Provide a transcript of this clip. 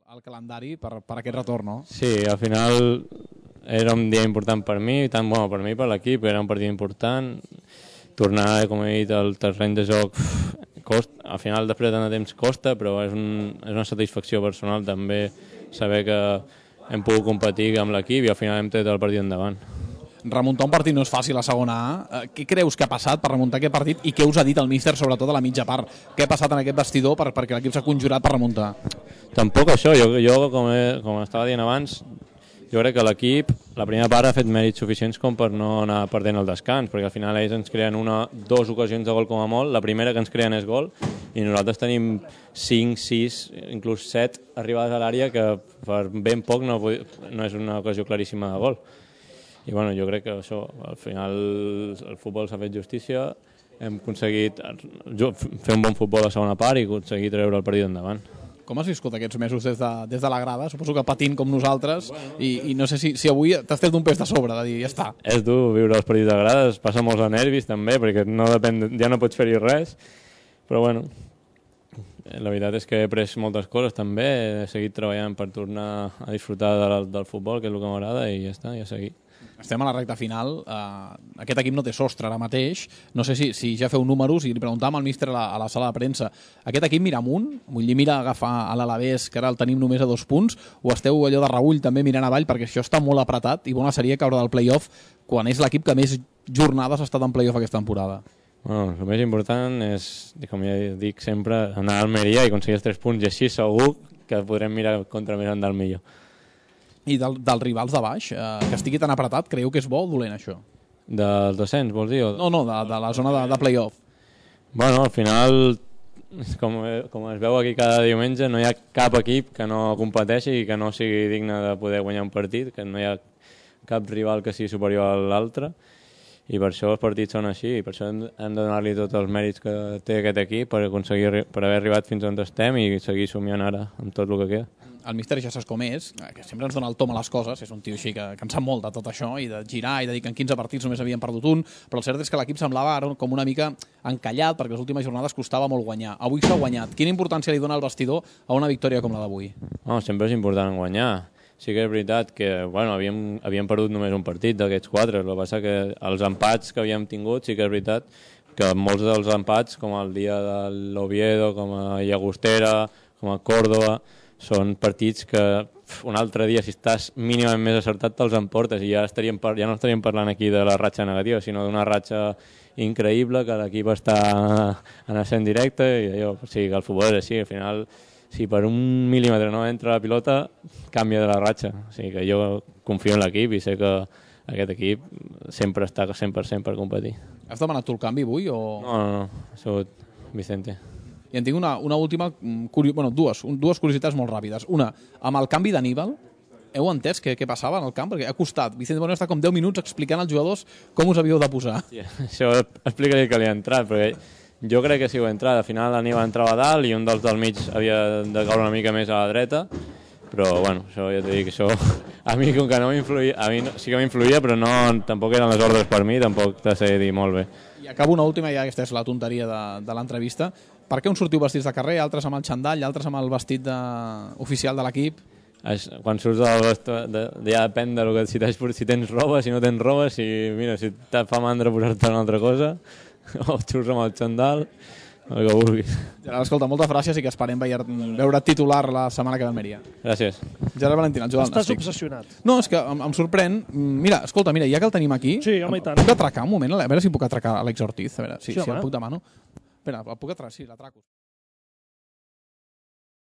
el calendari per aquest retorn, no? Sí, al final era un dia important per mi, tant bueno, per mi per l'equip, era un partit important. Tornar, com he dit, al terreny de joc costa, al final després de tant de temps costa, però és una satisfacció personal també saber que hem pogut competir amb l'equip i al final hem tret el partit endavant. Remuntar un partit no és fàcil a segona A. Què creus que ha passat per remuntar aquest partit i què us ha dit el míster, sobretot a la mitja part? Què ha passat en aquest vestidor perquè l'equip s'ha conjurat per remuntar? Tampoc això, jo com estava dient abans, jo crec que l'equip, la primera part ha fet mèrits suficients com per no anar perdent el descans, perquè al final ells ens creen dues ocasions de gol com a molt, la primera que ens creen és gol, i nosaltres tenim 5, 6, inclús 7 arribades a l'àrea que per ben poc no és una ocasió claríssima de gol. I bueno, jo crec que això, al final el futbol s'ha fet justícia, hem aconseguit fer un bon futbol a la segona part i aconseguir treure el partit endavant. Com has viscut aquests mesos des de la grada? Suposo que patint com nosaltres, i no sé si avui t'has tret un pes de sobre, de dir, ja està. És dur viure els partits de grada, es passa molts de nervis també, perquè ja no pots fer-hi res, però bueno, la veritat és que he après moltes coses també, he seguit treballant per tornar a disfrutar del futbol, que és el que m'agrada, i ja està, ja seguir. Estem a la recta final, aquest equip no té sostre ara mateix, no sé si ja feu números i li preguntàvem al míster a la sala de premsa, aquest equip mira amunt, vull dir, mira agafar a l'Alavés, que ara el tenim només a 2 punts, o esteu allò de reüll també mirant avall, perquè això està molt apretat i bona seria caure del play-off quan és l'equip que més jornades ha estat en play-off aquesta temporada. Bueno, el més important és, com ja dic sempre, anar a Almeria i aconseguir els 3 punts, i així segur que podrem mirar contra més endalt millor. I dels rivals de baix, que estigui tan apretat, creieu que és bo o dolent, això? Del descens, vols dir? No, de la zona de play-off. Bueno, al final, com es veu aquí cada diumenge, no hi ha cap equip que no competeixi i que no sigui digne de poder guanyar un partit, que no hi ha cap rival que sigui superior a l'altre, i per això els partits són així, i per això hem de donar-li tots els mèrits que té aquest equip per haver arribat fins on estem i seguir somiant ara amb tot el que queda. El míster ja saps com és, que sempre ens dona el tom a les coses, és un tio així que en sap molt de tot això, i de girar i de dir que en 15 partits només havien perdut un, però el cert és que l'equip semblava ara com una mica encallat, perquè les últimes jornades costava molt guanyar. Avui s'ha guanyat. Quina importància li dona al vestidor a una victòria com la d'avui? No, sempre és important guanyar. Sí que és veritat que havíem perdut només un partit d'aquests 4, el que passa que els empats que havíem tingut, sí que és veritat que molts dels empats, com el dia de l'Oviedo, com a Llagostera, com a Córdoba, són partits que un altre dia, si estàs mínimament més acertat, te'ls emportes, i ja no estaríem parlant aquí de la ratxa negativa, sinó d'una ratxa increïble, que l'equip està en ascens directe, i allò, o sigui, que el futbol és així, al final, si per un mil·límetre no entra la pilota, canvia de la ratxa. O sigui que jo confio en l'equip i sé que aquest equip sempre està 100% per competir. Has demanat tu el canvi avui? O... No, ha sigut Vicente. I en tinc una última, dues curiositats molt ràpides. Una, amb el canvi d'Aníbal, heu entès què passava en el camp? Perquè ha costat. Vicente Moreno està com 10 minuts explicant als jugadors com us havíeu de posar. Sí, això explica-li que li ha entrat, perquè jo crec que si ho ha entrat, al final l'Aníbal entrava a dalt i un dels del mig havia de caure una mica més a la dreta, però bueno, això ja t'he dit que això a mi com que no m'influïa, a mi sí que m'influïa, però no, tampoc eren les ordres per mi, tampoc t'ha de dir molt bé. I acabo una última, ja aquesta és la tonteria de l'entrevista. Per què uns sortiu vestits de carrer, altres amb el xandall, altres amb el vestit oficial de l'equip? Quan surts ja depèn de que, si tens roba, si no tens roba, si et fa mandra posar-te una altra cosa, o surts amb el xandall, el que vulguis. Gerard, escolta, moltes gràcies i que esperem veure titular la setmana que ve a Almeria. Gràcies. Gerard Valentín, el Joan. Estàs obsessionat. No, és que em sorprèn. Mira, ja que el tenim aquí... Sí, home, i tant. Puc atracar un moment? A veure si puc atracar Àlex Ortiz. A veure si el puc demanar. Espera, el puc atracar? Sí, l'atraco.